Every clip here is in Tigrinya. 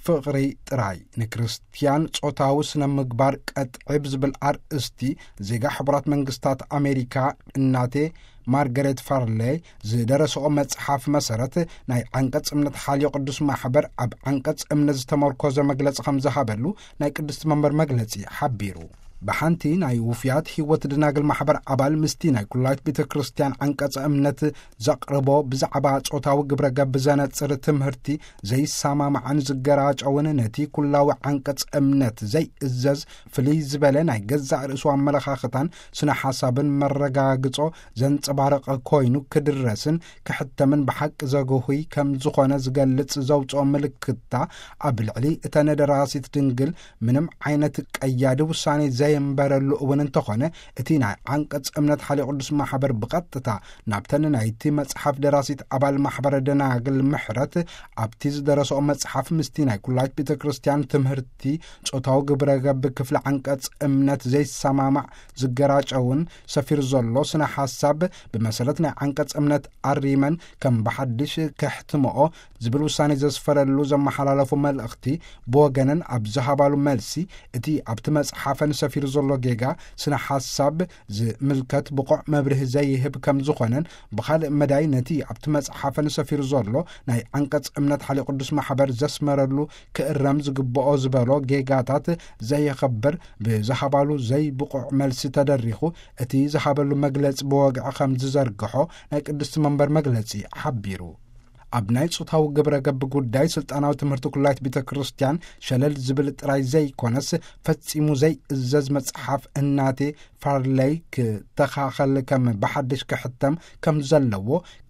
ፍቕሪ ጥራይ ንክርስትያን ጾታዊ ስነ ምግባር ቀጥዒ ብዝብል ኣርእስቲ፣ ዜጋ ሕቡራት መንግስታት ኣሜሪካ እናቴ ማርገሬት ፋርሌይ ዝደረስኦ መጽሓፍ መሰረት፣ ናይ ዓንቀጽ እምነት ሓልዮ ቅዱስ ማሕበር ኣብ ዓንቀጽ እምነት ዝተመርኮዘ መግለጺ ከም ዝሃበሉ ናይ ቅድስቲ መንበር መግለጺ ሓቢሩ። ብሓንቲ ናይ ውፍያት ህይወት ደናግል ማሕበር ኣባል፣ ምስቲ ናይ ኩላይት ቤተ ክርስቲያን ዓንቀጸ እምነት ዘቕርቦ ብዛዕባ ጾታዊ ግብረ ገብ ዘነጽር ትምህርቲ ዘይሰማማዕን ዝገራጨውን፣ ነቲ ኩላዊ ዓንቀጽ እምነት ዘይእዘዝ፣ ፍልይ ዝበለ ናይ ገዛእ ርእሱ ኣመለኻኽታን ስነ ሓሳብን መረጋግጾ ዘንጸባርቕ ኮይኑ ክድረስን ክሕተምን ብሓቂ ዘግሁይ ከም ዝኾነ ዝገልጽ ዘውጽኦ ምልክታ፣ ኣብ ልዕሊ እተን ደራሲት ድንግል ምንም ዓይነት ቀያዲ ውሳኔ ዘየንበረሉ እውን እንተኾነ፣ እቲ ናይ ዓንቀጽ እምነት ሓልዮ ቅዱስ ማሕበር ብቐጥታ ናብተን ናይቲ መጽሓፍ ደራሲት ኣባል ማሕበረ ደናግል ምሕረት ኣብቲ ዝደረስኦ መጽሓፍ፣ ምስቲ ናይ ኩላይት ቤተ ክርስቲያን ትምህርቲ ጾታዊ ግብረ ገብ ክፍሊ ዓንቀጽ እምነት ዘይሰማማዕ ዝገራጨውን ሰፊሩ ዘሎ ስነ ሓሳብ፣ ብመሰረት ናይ ዓንቀጽ እምነት ኣሪመን ከም ብሓድሽ ከሕትምኦ ዝብል ውሳኔ ዘስፈረሉ ዘመሓላለፉ መልእኽቲ፣ ብወገነን ኣብ ዝሃባሉ መልሲ፣ እቲ ኣብቲ መጽሓፈን ሰፊሩ ዘሎ ጌጋ ስነ ሓሳብ ዝምልከት ብቑዕ መብርሂ ዘይህብ ከም ዝኾነን፣ ብኻልእ መዳይ ነቲ ኣብቲ መጽሓፈን ሰፊሩ ዘሎ ናይ ዓንቀጽ እምነት ሓልዮ ቅዱስ ማሕበር ዘስመረሉ ክእረም ዝግብኦ ዝበሎ ጌጋታት ዘየኸብር ብዝሃባሉ ዘይብቑዕ መልሲ ተደሪኹ፣ እቲ ዝሃበሉ መግለጺ ብወግዒ ከም ዝዘርግሖ ናይ ቅድስቲ መንበር መግለጺ ሓቢሩ። ኣብ ናይ ጾታዊ ግብረ ገብ ጉዳይ ስልጣናዊ ትምህርቲ ኩላይት ቤተ ክርስቲያን ሸለል ዝብል ጥራይ ዘይኮነስ፣ ፈጺሙ ዘይእዘዝ መጽሓፍ እናቴ ፋርለይ ክተኻኸል ከም ብሓድሽ ክሕተም ከም ዘለዎ፣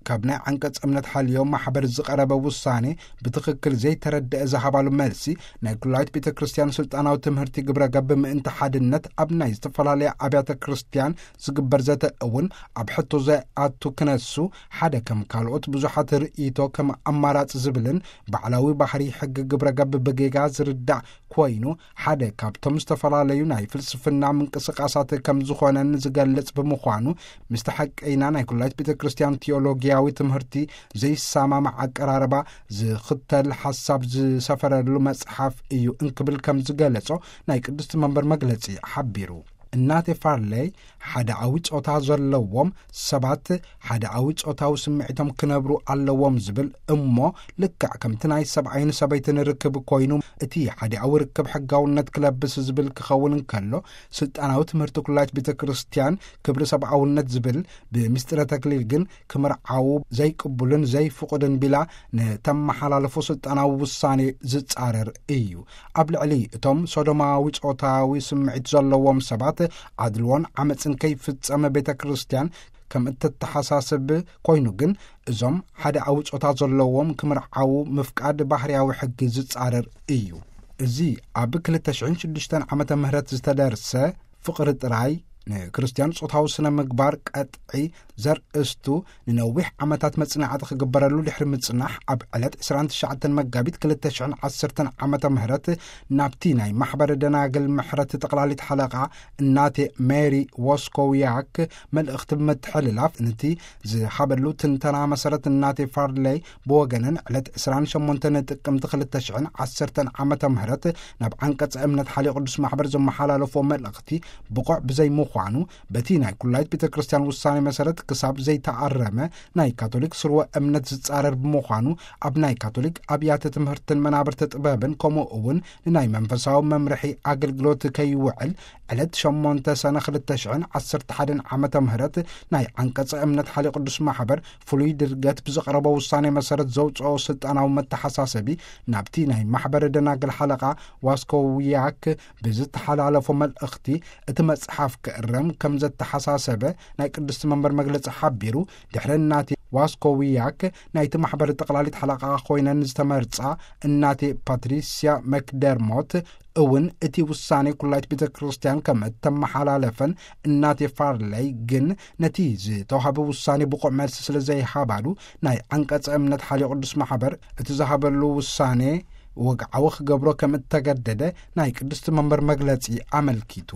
ካብ ናይ ዓንቀጽ እምነት ሓልዮ ማሕበር ዝቐረበ ውሳኔ ብትኽክል ዘይተረድአ ዝሃባሉ መልሲ፣ ናይ ኩላይት ቤተ ክርስቲያን ስልጣናዊ ትምህርቲ ግብረ ገብ ምእንቲ ሓድነት ኣብ ናይ ዝተፈላለያ ኣብያተ ክርስቲያን ዝግበር ዘተ እውን ኣብ ሕቶ ዘይኣቱ ክነሱ፣ ሓደ ከም ካልኦት ብዙሓት ርእይቶ ከም ኣማራጺ ዝብልን፣ ባዕላዊ ባህሪ ሕጊ ግብረ ገብ ብጌጋ ዝርዳእ ኮይኑ፣ ሓደ ካብቶም ዝተፈላለዩ ናይ ፍልስፍና ምንቅስቃሳት ከም ዝኾነን ዝገልጽ ብምዃኑ፣ ምስቲ ሓቀይና ናይ ኩላይት ቤተ ክርስቲያን ቲዮሎጊያዊ ትምህርቲ ዘይሰማማዕ ኣቀራርባ ዝኽተል ሓሳብ ዝሰፈረሉ መጽሓፍ እዩ እንክብል ከም ዝገለጾ ናይ ቅድስቲ መንበር መግለጺ ሓቢሩ። እናቴ ፋርለይ፣ ሓደኣዊ ጾታ ዘለዎም ሰባት ሓደኣዊ ጾታዊ ስምዒቶም ክነብሩ ኣለዎም ዝብል እሞ፣ ልክዕ ከምቲ ናይ ሰብኣይን ሰበይትን ርክብ ኮይኑ፣ እቲ ሓደኣዊ ርክብ ሕጋውነት ክለብስ ዝብል ክኸውን እንከሎ፣ ስልጣናዊ ትምህርቲ ኩላይት ቤተ ክርስቲያን ክብሪ ሰብኣውነት ዝብል፣ ብምስጢረ ተክሊል ግን ክምርዓዉ ዘይቅቡልን ዘይፍቑድን ቢላ ንተመሓላለፎ ስልጣናዊ ውሳኔ ዝጻረር እዩ። ኣብ ልዕሊ እቶም ሶዶማዊ ጾታዊ ስምዒት ዘለዎም ሰባት ኣድልዎን ዓመጽን ከይፍጸም ቤተ ክርስቲያን ከም እትተሓሳስብ ኮይኑ፣ ግን እዞም ሓደኣዊ ጾታ ዘለዎም ክምርዓዉ ምፍቃድ ባህርያዊ ሕጊ ዝጻረር እዩ። እዚ ኣብ ክልተ ሽሕን ሽዱሽተን ዓመተ ምህረት ዝተደርሰ ፍቕሪ ጥራይ ንክርስትያን ጾታዊ ስነ ምግባር ቀጥዒ ዘርእስቱ ንነዊሕ ዓመታት መጽናዕቲ ክግበረሉ ድሕሪ ምጽናሕ፣ ኣብ ዕለት ዕስራን ትሽዓተን መጋቢት ክልተ ሽሕን ዓሰርተን ዓመተ ምህረት ናብቲ ናይ ማሕበረ ደናግል ምሕረት ጠቕላሊት ሓለቓ እናቴ ሜሪ ዎስኮውያክ መልእኽቲ ብምትሕልላፍ፣ ነቲ ዝሃበሉ ትንተና መሰረት እናቴ ፋርለይ ብወገነን ዕለት ዕስራን ሸሞንተን ጥቅምቲ ክልተ ሽሕን ዓሰርተን ዓመተ ምህረት ናብ ዓንቀጸ እምነት ሓልዮ ቅዱስ ማሕበር ዘመሓላለፎ መልእኽቲ ብቑዕ ብዘይምዃኑ፣ በቲ ናይ ኩላይት ቤተ ክርስቲያን ውሳኔ መሰረት ክሳብ ዘይተኣረመ ናይ ካቶሊክ ስርወ እምነት ዝጻረር ብምዃኑ፣ ኣብ ናይ ካቶሊክ ኣብያተ ትምህርትን መናብርቲ ጥበብን ከምኡ እውን ንናይ መንፈሳዊ መምርሒ ኣገልግሎት ከይውዕል ዕለት ሸሞንተ ሰነ ክልተ ሽሕን ዓሰርተ ሓደን ዓመተ ምህረት ናይ ዓንቀጸ እምነት ሓልዮ ቅዱስ ማሕበር ፍሉይ ድርገት ብዘቕረቦ ውሳኔ መሰረት ዘውጽኦ ስልጣናዊ መተሓሳሰቢ ናብቲ ናይ ማሕበረ ደናግል ሓለቓ ዋስኮውያክ ብዝተሓላለፎ መልእኽቲ፣ እቲ መጽሓፍ ክእረም ከም ዘተሓሳሰበ ናይ ቅድስቲ መንበር መግለጺ ሓቢሩ፣ ድሕሪ እናቴ ዋስኮውያክ ናይቲ ማሕበር ጠቕላሊት ሓለቓ ኮይነን ዝተመርጻ እናቴ ፓትሪስያ መክደርሞት እውን እቲ ውሳኔ ኩላይት ቤተ ክርስቲያን ከም እተመሓላለፈን፣ እናቴ ፋርለይ ግን ነቲ ዝተዋህበ ውሳኔ ብቑዕ መልሲ ስለ ዘይሃባሉ፣ ናይ ዓንቀጸ እምነት ሓልዮ ቅዱስ ማሕበር እቲ ዝሃበሉ ውሳኔ ወግዓዊ ክገብሮ ከም እተገደደ ናይ ቅድስቲ መንበር መግለጺ ኣመልኪቱ።